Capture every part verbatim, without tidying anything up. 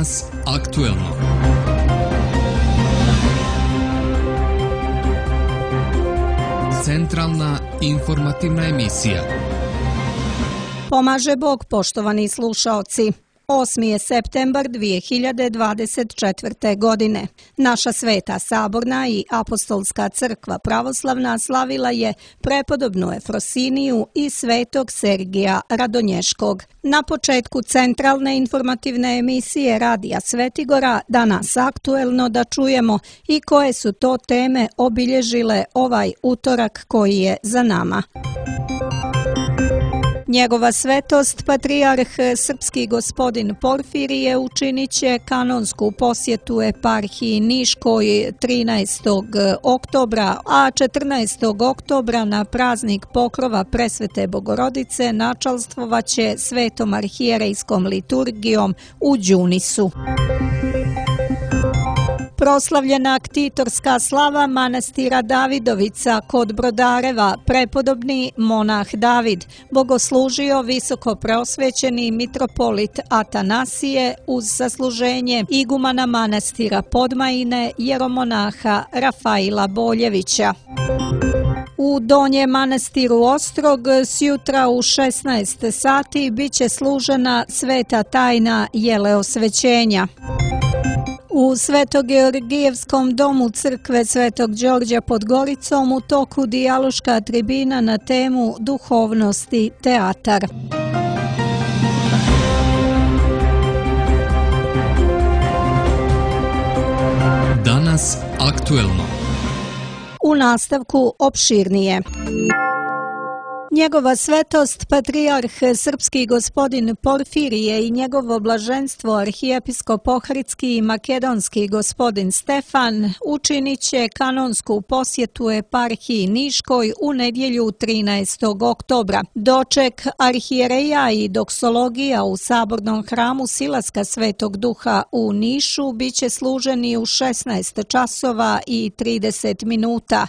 Danas aktuelno. Centralna informativna emisija. Pomaže Bog, poštovani slušaoci. osmi je septembar dvije hiljade dvadeset četvrte. godine. Naša Sveta Saborna i Apostolska crkva pravoslavna slavila je prepodobnu Efrosiniju i svetog Sergija Radonješkog. Na početku centralne informativne emisije Radija Svetigora danas aktuelno da čujemo i koje su to teme obilježile ovaj utorak koji je za nama. Njegova svetost, patrijarh srpski gospodin Porfirije, učinit će kanonsku posjetu eparhiji Niškoj trinaestog oktobra, a četrnaestog oktobra na praznik pokrova Presvete Bogorodice načalstvovaće svetom arhijerejskom liturgijom u Đunisu. Proslavljena ktitorska slava manastira Davidovica kod Brodareva, prepodobni monah David, bogoslužio visoko preosvećeni mitropolit Atanasije uz sasluženje igumana manastira Podmajine, jeromonaha Rafaila Boljevića. U Donjem manastiru Ostrog sjutra u šesnaest sati biće služena sveta tajna jeleosvećenja. U Svetogeorgijevskom domu crkve Svetog Đorđa pod Goricom u toku dijaloška tribina na temu duhovnosti teatar. Danas aktuelno. U nastavku opširnije. Njegova svetost, patrijarh srpski gospodin Porfirije i njegovo blaženstvo arhijepiskop ohridski i makedonski gospodin Stefan učinit će kanonsku posjetu eparhiji Niškoj u nedjelju trinaestog oktobra. Doček arhijereja i doksologija u sabornom hramu Silaska Svetog Duha u Nišu biće služeni u šesnaest časova i trideset minuta.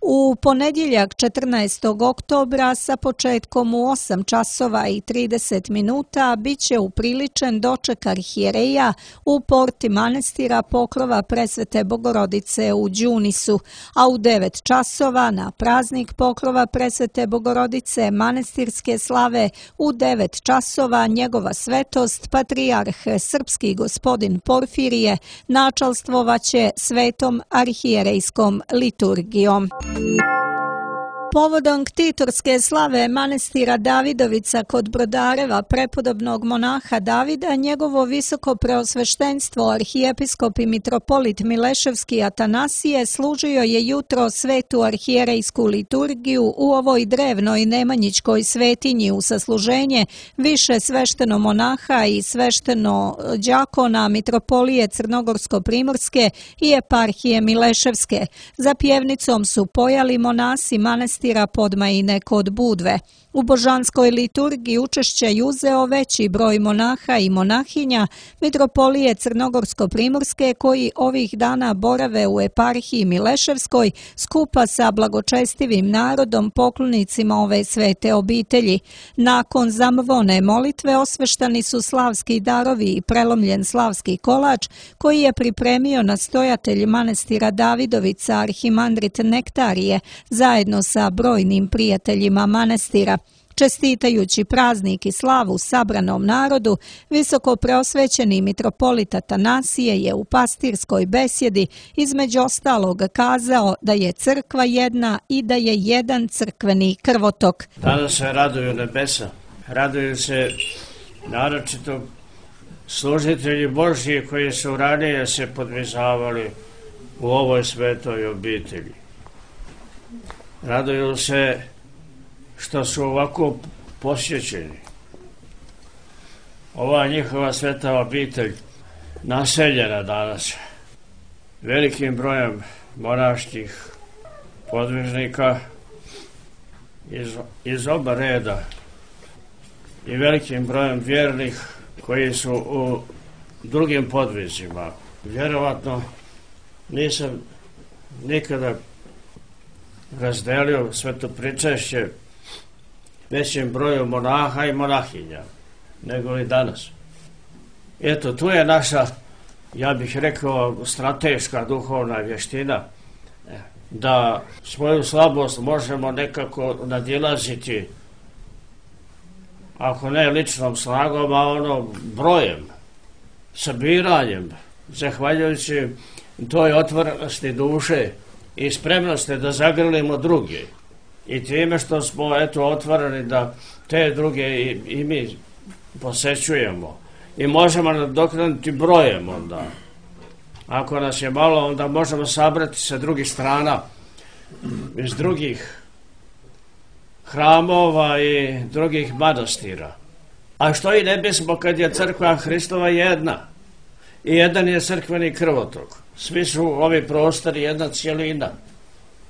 U ponedjeljak četrnaestog oktobra sa početkom u osam časova i trideset minuta biće upriličen doček arhijereja u porti manastira pokrova Presvete Bogorodice u Đunisu, a u devet časova na praznik pokrova Presvete Bogorodice manastirske slave u devet časova njegova svetost, patrijarh srpski gospodin Porfirije, načalstvovaće svetom arhijerejskom liturgijom. Povodom ktitorske slave manastira Davidovica kod Brodareva prepodobnog monaha Davida, njegovo visoko preosveštenstvo arhijepiskop i mitropolit Mileševski Atanasije služio je jutro svetu arhijerejsku liturgiju u ovoj drevnoj nemanjičkoj svetinji u sasluženje više svešteno monaha i svešteno đakona mitropolije Crnogorsko-primorske i eparhije Mileševske. Za pjevnicom su pojali monasi manastira Podmajine kod Budve. U božanskoj liturgiji učešće je uzeo veći broj monaha i monahinja mitropolije Crnogorsko-primorske koji ovih dana borave u eparhiji Mileševskoj skupa sa blagočestivim narodom poklonicima ove svete obitelji. Nakon zamvone molitve osveštani su slavski darovi i prelomljen slavski kolač koji je pripremio nastojatelj manastira Davidovica arhimandrit Nektarije zajedno sa brojnim prijateljima manastira. Čestitajući praznik i slavu sabranom narodu, visoko preosvećeni mitropolit Atanasije je u pastirskoj besjedi između ostalog kazao da je crkva jedna i da je jedan crkveni krvotok. Danas se raduju nebesa, raduju se naročito služitelji Božji koji su ranije se podvizavali u ovoj svetoj obitelji. Raduju se što su ovako posjećeni. Ova njihova sveta obitelj naseljena danas velikim brojem monaških podvižnika iz, iz oba reda i velikim brojem vjernih koji su u drugim podvizima. Vjerovatno nisam nikada razdelio sveto pričešće većim broju monaha i monahinja nego i danas. Eto, tu je naša, ja bih rekao, strateška duhovna vještina, da svoju slabost možemo nekako nadilaziti, ako ne ličnom snagom, a ono brojem, sabiranjem, zahvaljujući toj otvorenosti duše i spremnosti da zagrlimo druge. I time što smo eto otvoreni da te druge i, i mi posećujemo. I možemo nadoknaditi brojem onda. Ako nas je malo, onda možemo sabrati sa drugih strana, iz drugih hramova i drugih manastira. A što i ne bismo kad je crkva Hristova jedna. I jedan je crkveni krvotok. Svi su ovi prostori jedna cijelina.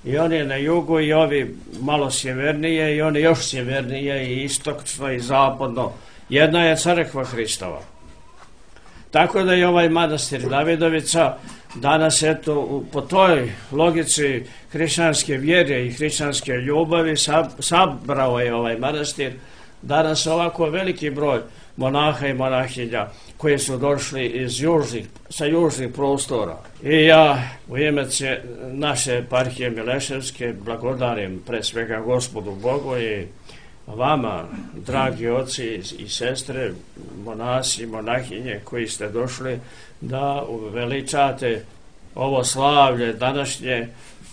I oni na jugu i ovi malo sjevernije i oni još sjevernije i istočno i zapadno. Jedna je crkva Hristova. Tako da je ovaj manastir Davidovica danas eto po toj logici hrišćanske vjere i hrišćanske ljubavi sabrao je ovaj manastir danas ovako veliki broj monaha i monahinja koji su došli iz južnih, sa južnih prostora. I ja u ime naše eparhije Mileševske blagodarim pre svega Gospodu Bogu i vama, dragi oci i sestre, monasi i monahinje koji ste došli da uveličate ovo slavlje današnje,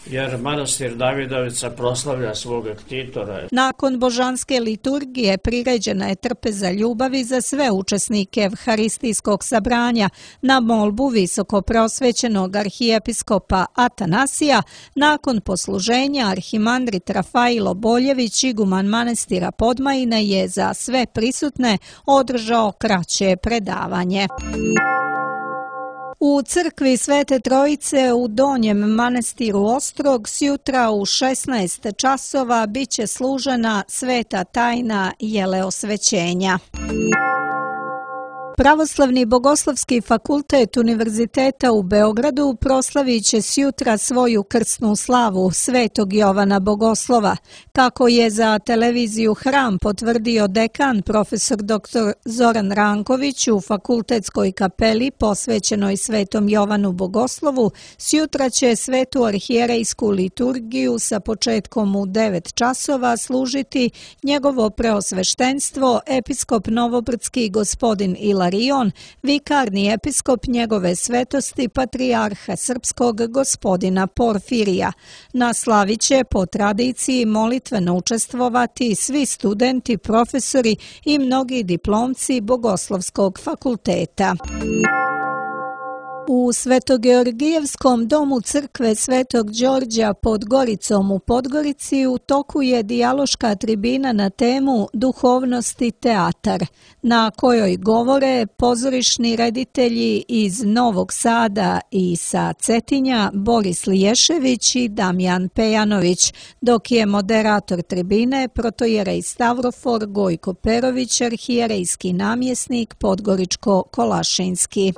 jer manastir Davidovica proslavlja svoga ktitora. Nakon božanske liturgije priređena je trpeza ljubavi za sve učesnike evharistijskog sabranja na molbu visoko preosvećenog arhijepiskopa Atanasija. Nakon posluženja arhimandrit Rafailo Boljević, iguman manastira Podmajina, je za sve prisutne održao kraće predavanje. U crkvi Svete Trojice u Donjem manastiru Ostrog sjutra u šesnaest časova biće služena sveta tajna jeleosvećenja. Pravoslavni bogoslovski fakultet Univerziteta u Beogradu proslavit će sjutra svoju krsnu slavu Svetog Jovana Bogoslova. Kako je za televiziju Hram potvrdio dekan profesor doktor Zoran Ranković, u fakultetskoj kapeli posvećenoj Svetom Jovanu Bogoslovu sjutra će svetu arhijerejsku liturgiju sa početkom u devet časova služiti njegovo preosveštenstvo episkop Novobrdski gospodin Ila Ilarion, vikarni episkop njegove svetosti patrijarha srpskog gospodina Porfirija. Na slavi će po tradiciji molitveno učestvovati svi studenti, profesori i mnogi diplomci Bogoslovskog fakulteta. U Svetogeorgijevskom domu crkve Svetog Đorđa pod Goricom u Podgorici u toku je dijaloška tribina na temu Duhovnost i teatar, na kojoj govore pozorišni reditelji iz Novog Sada i sa Cetinja Boris Liješević i Damjan Pejanović, dok je moderator tribine protojerej Stavrofor Gojko Perović, arhijerejski namjesnik Podgoričko-Kolašinski.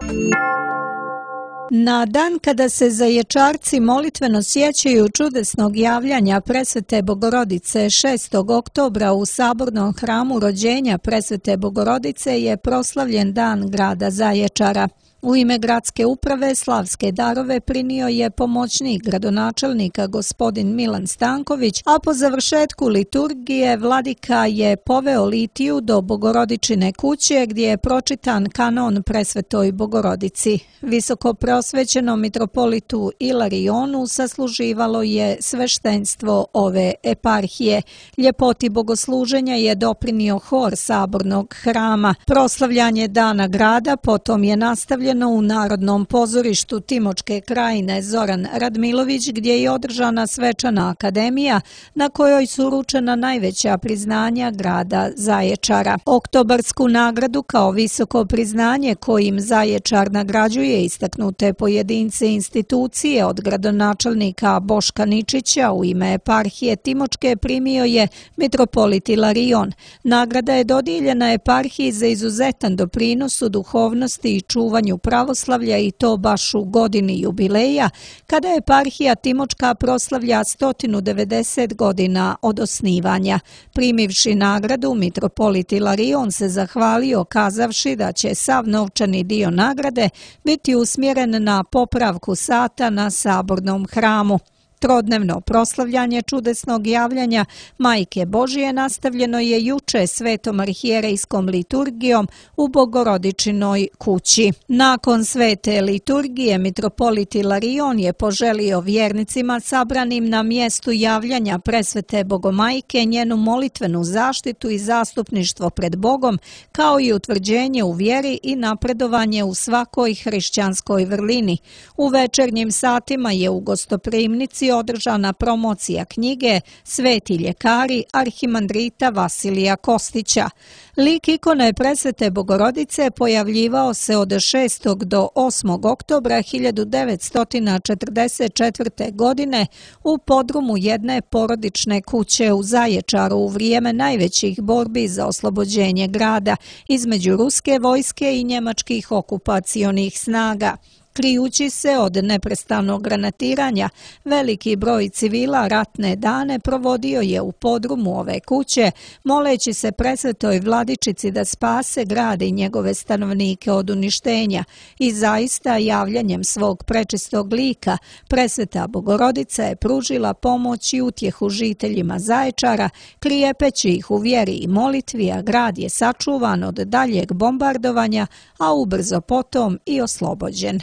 Na dan kada se zaječarci molitveno sjećaju čudesnog javljanja Presvete Bogorodice šestog oktobra u sabornom hramu rođenja Presvete Bogorodice je proslavljen dan grada Zaječara. U ime gradske uprave slavske darove prinio je pomoćnik gradonačelnika gospodin Milan Stanković, a po završetku liturgije vladika je poveo litiju do Bogorodičine kuće gdje je pročitan kanon Presvetoj Bogorodici. Visoko preosvećenom mitropolitu Ilarionu sasluživalo je sveštenstvo ove eparhije. Ljepoti bogosluženja je doprinio hor sabornog hrama. Proslavljanje dana grada potom je nastavljeno u Narodnom pozorištu Timočke krajine Zoran Radmilović, gdje je održana svečana akademija na kojoj su uručena najveća priznanja grada Zaječara. Oktobarsku nagradu kao visoko priznanje kojim Zaječar nagrađuje istaknute pojedince i institucije od gradonačelnika Boška Ničića u ime eparhije Timočke primio je mitropolit Ilarion. Nagrada je dodijeljena eparhiji za izuzetan doprinos u duhovnosti i čuvanju proslabljenju pravoslavlja i to baš u godini jubileja, kada eparhija Timočka proslavlja sto devedeset godina od osnivanja. Primivši nagradu, mitropolit Ilarion se zahvalio kazavši da će sav novčani dio nagrade biti usmjeren na popravku sata na sabornom hramu. Trodnevno proslavljanje čudesnog javljanja Majke Božije nastavljeno je juče svetom arhijerejskom liturgijom u Bogorodičinoj kući. Nakon svete liturgije mitropolit Ilarion je poželio vjernicima sabranim na mjestu javljanja presvete Bogomajke njenu molitvenu zaštitu i zastupništvo pred Bogom, kao i utvrđenje u vjeri i napredovanje u svakoj hrišćanskoj vrlini. U večernjim satima je u gostoprimnici održana promocija knjige Sveti ljekari arhimandrita Vasilija Kostića. Lik ikone presvete Bogorodice pojavljivao se od šestog do osmog oktobra hiljadu devetsto četrdeset četvrte. godine u podrumu jedne porodične kuće u Zaječaru u vrijeme najvećih borbi za oslobođenje grada između ruske vojske i njemačkih okupacionih snaga. Krijući se od neprestanog granatiranja, veliki broj civila ratne dane provodio je u podrumu ove kuće, moleći se presvetoj vladičici da spase grad i njegove stanovnike od uništenja. I zaista javljanjem svog prečistog lika, presveta Bogorodica je pružila pomoć i utjehu žiteljima Zaječara, krijepeći ih u vjeri i molitvi, a grad je sačuvan od daljeg bombardovanja, a ubrzo potom i oslobođen.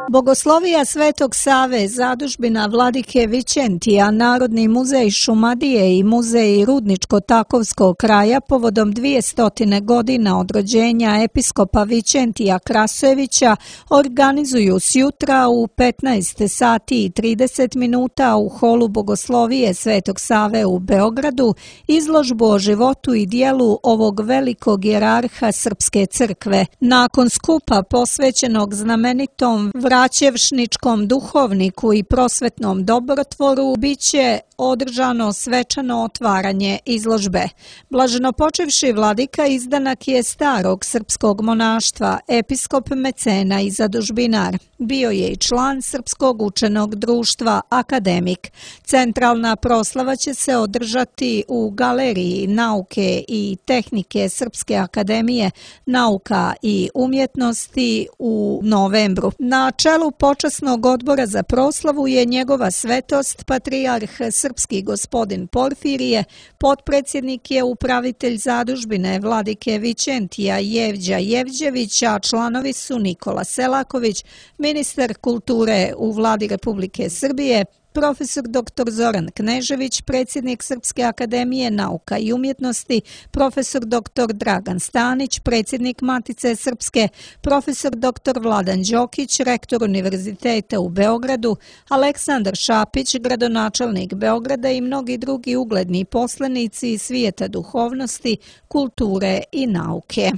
Bogoslovija Svetog Save, zadužbina vladike Vičentija, Narodni muzej Šumadije i muzej Rudničko-Takovskog kraja povodom dvijestotine godina od rođenja episkopa Vičentija Krasojevića organizuju sjutra u petnaest sati i trideset minuta u holu Bogoslovije Svetog Save u Beogradu izložbu o životu i dijelu ovog velikog jerarha Srpske crkve. Nakon skupa posvećenog znamenitom vraćevšničkom duhovniku i prosvetnom dobrotvoru biće održano svečano otvaranje izložbe. Blaženopočevši vladika izdanak je starog srpskog monaštva, episkop mecena i zadužbinar. Bio je i član Srpskog učenog društva, akademik. Centralna proslava će se održati u Galeriji nauke i tehnike Srpske akademije nauka i umjetnosti u novembru. Na čelu počasnog odbora za proslavu je njegova svetost patrijarh srpski gospodin Porfirije, potpredsjednik je upravitelj zadužbine vladike Vičentija Jevđa Jevđević, a članovi su Nikola Selaković, ministar kulture u vladi Republike Srbije, profesor doktor Zoran Knežević, predsjednik Srpske akademije nauka i umjetnosti, profesor doktor Dragan Stanić, predsjednik Matice Srpske, profesor doktor Vladan Đokić, rektor Univerziteta u Beogradu, Aleksandar Šapić, gradonačelnik Beograda i mnogi drugi ugledni poslenici iz svijeta duhovnosti, kulture i nauke.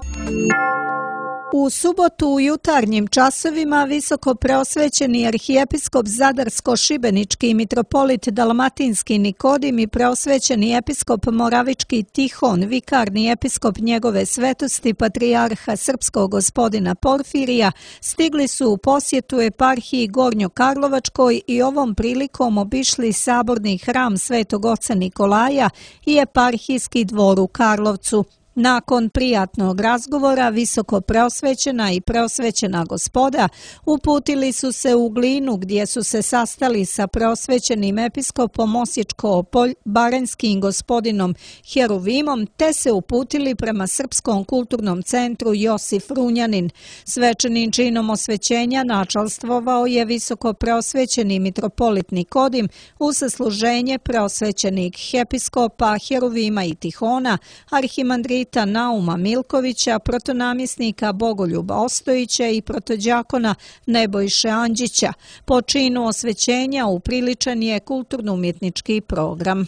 U subotu u jutarnjim časovima visoko preosvećeni arhijepiskop Zadarsko-Šibenički mitropolit Dalmatinski Nikodim i preosvećeni episkop Moravički Tihon, vikarni episkop njegove svetosti patrijarha srpskog gospodina Porfirija, stigli su u posjetu eparhiji Gornjokarlovačkoj i ovom prilikom obišli saborni hram Svetog oca Nikolaja i eparhijski dvor u Karlovcu. Nakon prijatnog razgovora visoko preosvećena i preosvećena gospoda uputili su se u Glinu gdje su se sastali sa preosvećenim episkopom Osječko-baranjskim gospodinom Heruvimom te se uputili prema Srpskom kulturnom centru Josif Runjanin. Svečanim činom osvećenja načalstvovao je visoko preosvećeni mitropolit Nikodim uz služenje preosvećenih episkopa Heruvima i Tihona, arhimandrita Nauma Milkovića, protonamjesnika Bogoljuba Ostojića i protođakona Nebojše Anđića. Po činu osvećenja upriličen je kulturno-umjetnički program.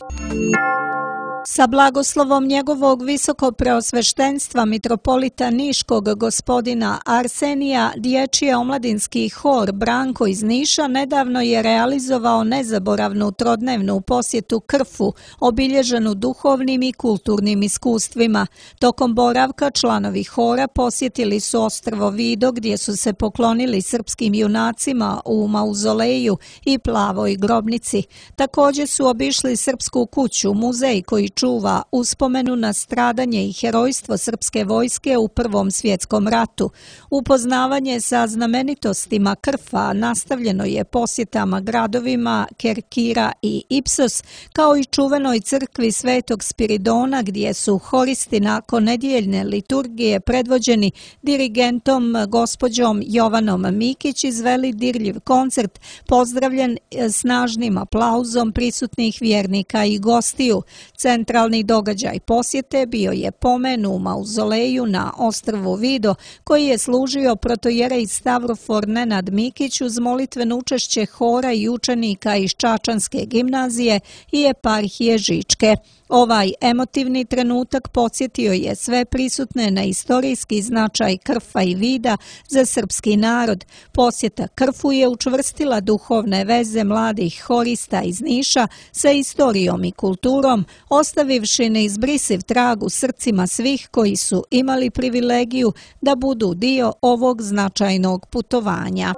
Sa blagoslovom njegovog visokopreosveštenstva mitropolita Niškog gospodina Arsenija, dječji omladinski hor Branko iz Niša nedavno je realizovao nezaboravnu trodnevnu posjetu Krfu, obilježenu duhovnim i kulturnim iskustvima. Tokom boravka članovi hora posjetili su ostrvo Vido gdje su se poklonili srpskim junacima u mauzoleju i plavoj grobnici. Također su obišli Srpsku kuću, muzej koji čuva uspomenu na stradanje i herojstvo srpske vojske u Prvom svjetskom ratu. Upoznavanje sa znamenitostima Krfa nastavljeno je posjetama gradovima Kerkira i Ipsos, kao i čuvenoj crkvi Svetog Spiridona gdje su horisti nakon nedjeljne liturgije predvođeni dirigentom gospođom Jovanom Mikić izveli dirljiv koncert, pozdravljen snažnim aplauzom prisutnih vjernika i gostiju. Centralni događaj posjete bio je pomen u mauzoleju na ostrvu Vido, koji je služio protojerej Stavrofor Nenad Mikić uz molitveno učešće hora i učenika iz Čačanske gimnazije i eparhije Žičke. Ovaj emotivni trenutak podsjetio je sve prisutne na istorijski značaj Krfa i Vida za srpski narod. Posjeta Krfu je učvrstila duhovne veze mladih horista iz Niša sa istorijom i kulturom, ostavivši neizbrisiv trag u srcima svih koji su imali privilegiju da budu dio ovog značajnog putovanja.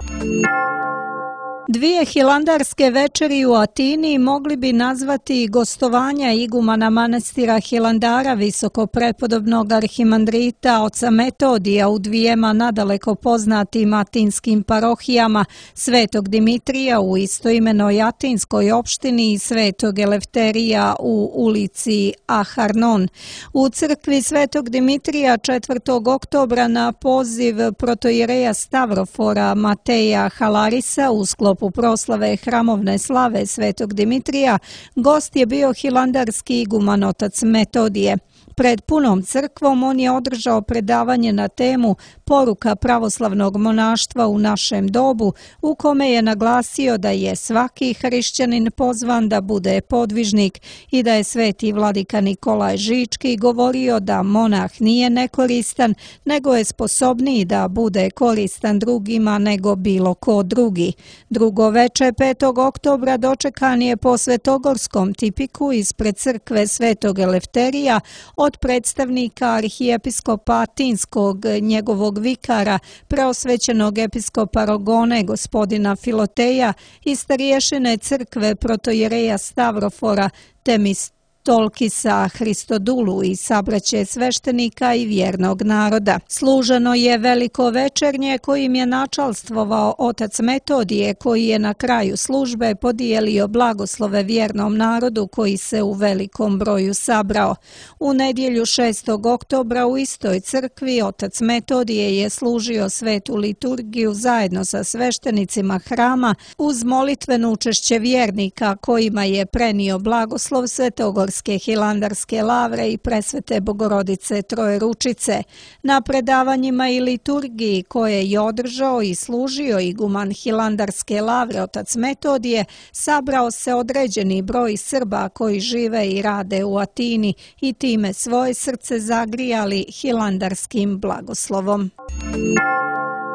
Dvije hilandarske večeri u Atini mogli bi nazvati gostovanja igumana manastira Hilandara visokoprepodobnog arhimandrita oca Metodija u dvijema nadaleko poznatim atinskim parohijama, Svetog Dimitrija u istoimenoj atinskoj opštini i Svetog Elefterija u ulici Aharnon. U crkvi Svetog Dimitrija četvrtog oktobra na poziv protojereja Stavrofora Mateja Halarisa u sklopu u proslave hramovne slave Svetog Dimitrija, gost je bio hilandarski iguman otac Metodije. Pred punom crkvom on je održao predavanje na temu Poruka pravoslavnog monaštva u našem dobu, u kome je naglasio da je svaki hrišćanin pozvan da bude podvižnik i da je sveti vladika Nikolaj Žički govorio da monah nije nekoristan, nego je sposobniji da bude koristan drugima nego bilo ko drugi. Drugo veče petog oktobra dočekan je po svetogorskom tipiku ispred crkve Svetog Elefterija od predstavnika arhijepiskopa Atinskog, njegovog vikara, preosvećenog episkopa Rogone, gospodina Filoteja i starješine crkve protojereja Stavrofora Temis Tolkisa Hristodulu i sabraće sveštenika i vjernog naroda. Služeno je veliko večernje kojim je načalstvovao otac Metodije, koji je na kraju službe podijelio blagoslove vjernom narodu koji se u velikom broju sabrao. U nedjelju šestog oktobra u istoj crkvi otac Metodije je služio svetu liturgiju zajedno sa sveštenicima hrama uz molitveno učešće vjernika kojima je prenio blagoslov Svetogorske hilandarske lavre i presvete Bogorodice Trojeručice. Na predavanjima i liturgiji koje je održao i služio iguman hilandarske lavre otac Metodije, sabrao se određeni broj Srba koji žive i rade u Atini i time svoje srce zagrijali hilandarskim blagoslovom.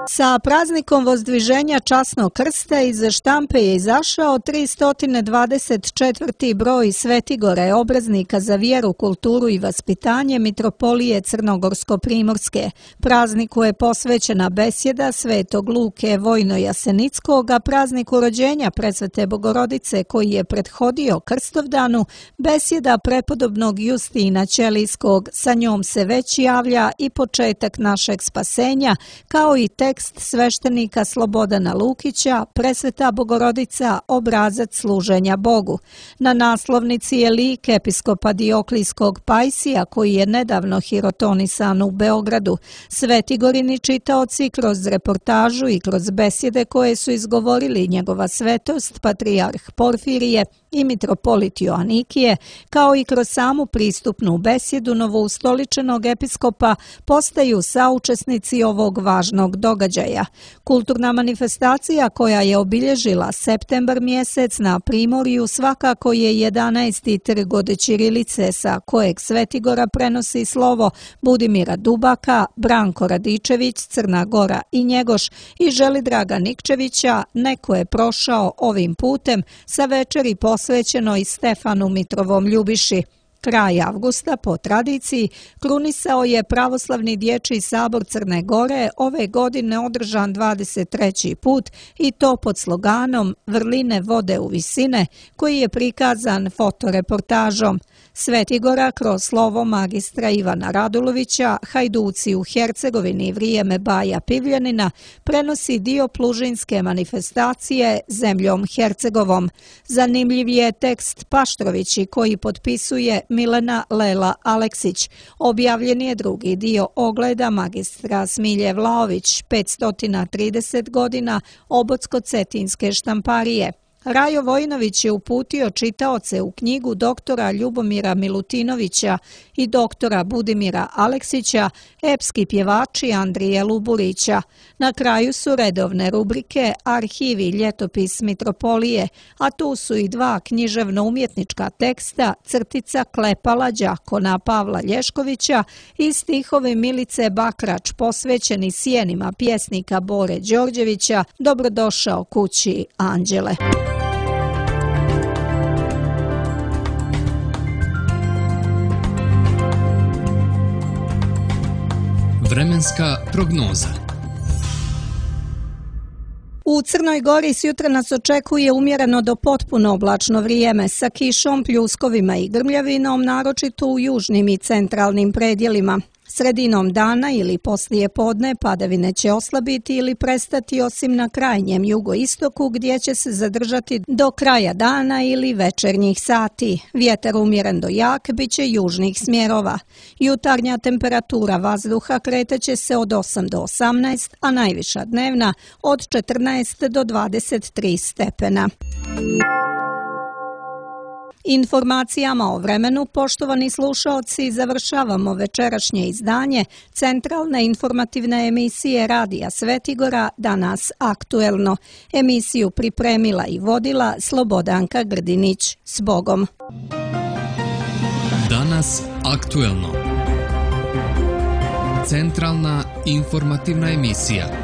Sa praznikom vozdviženja časnog krsta iz štampe je izašao tristo dvadeset četvrti broj Svetigore, obraznika za vjeru, kulturu i vaspitanje mitropolije Crnogorsko-primorske. Prazniku je posvećena besjeda Svetog Luke Vojno-Jasenickog, a prazniku rođenja presvete Bogorodice koji je prethodio Krstovdanu, besjeda prepodobnog Justina Ćelijskog, sa njom se već javlja i početak našeg spasenja, kao i tekst sveštenika Slobodana Lukića, presveta Bogorodica, obrazac služenja Bogu. Na naslovnici je lik episkopa Dioklijskog Pajsija, koji je nedavno hirotonisan u Beogradu. Svetigorini čitaoci kroz reportažu i kroz besjede koje su izgovorili njegova svetost, patrijarh Porfirije i mitropolit Joanikije, kao i kroz samu pristupnu besjedu novoustoličenog episkopa, postaju saučesnici ovog važnog događaja. događaja. Kulturna manifestacija koja je obilježila septembar mjesec na Primorju svakako je jedanaesti trg od ćirilice sa kojeg Svetigora prenosi slovo Budimira Dubaka, Branko Radičević, Crna Gora i Njegoš i Želidraga Nikčevića neko je prošao ovim putem sa večeri posvećenoj Stefanu Mitrovom Ljubiši. Kraj avgusta, po tradiciji, krunisao je Pravoslavni dječji sabor Crne Gore, ove godine održan dvadeset treći put i to pod sloganom Vrline vode u visine, koji je prikazan fotoreportažom. Svetigora kroz slovo magistra Ivana Radulovića, Hajduci u Hercegovini vrijeme Baja Pivljanina, prenosi dio plužinske manifestacije Zemljom Hercegovom. Zanimljiv je tekst Paštrovići koji potpisuje Milena Lela Aleksić. Objavljen je drugi dio ogleda magistra Smilje Vlaović, petsto trideset godina Obocko-cetinske štamparije. Rajo Vojinović je uputio čitaoce u knjigu doktora Ljubomira Milutinovića i doktora Budimira Aleksića, epski pjevači Andrije Luburića. Na kraju su redovne rubrike Arhivi, ljetopis Mitropolije, a tu su i dva književno-umjetnička teksta, crtica Klepala đakona Pavla Lješkovića i stihovi Milice Bakrač posvećeni sjenima pjesnika Bore Đorđevića Dobrodošao kući, Anđele. Vremenska prognoza. U Crnoj Gori sjutra nas očekuje umjereno do potpuno oblačno vrijeme sa kišom, pljuskovima i grmljavinom, naročito u južnim i centralnim predjelima. Sredinom dana ili poslije podne padavine će oslabiti ili prestati osim na krajnjem jugoistoku gdje će se zadržati do kraja dana ili večernjih sati. Vjetar umjeren do jak bit će južnih smjerova. Jutarnja temperatura vazduha kreteće se od osam do osamnaest, a najviša dnevna od četrnaest do dvadeset tri stepena. Informacijama o vremenu, poštovani slušaoci, završavamo večerašnje izdanje centralne informativne emisije Radija Svetigora Danas aktuelno. Emisiju pripremila i vodila Slobodanka Grdinić. S Bogom! Danas aktuelno. Centralna informativna emisija.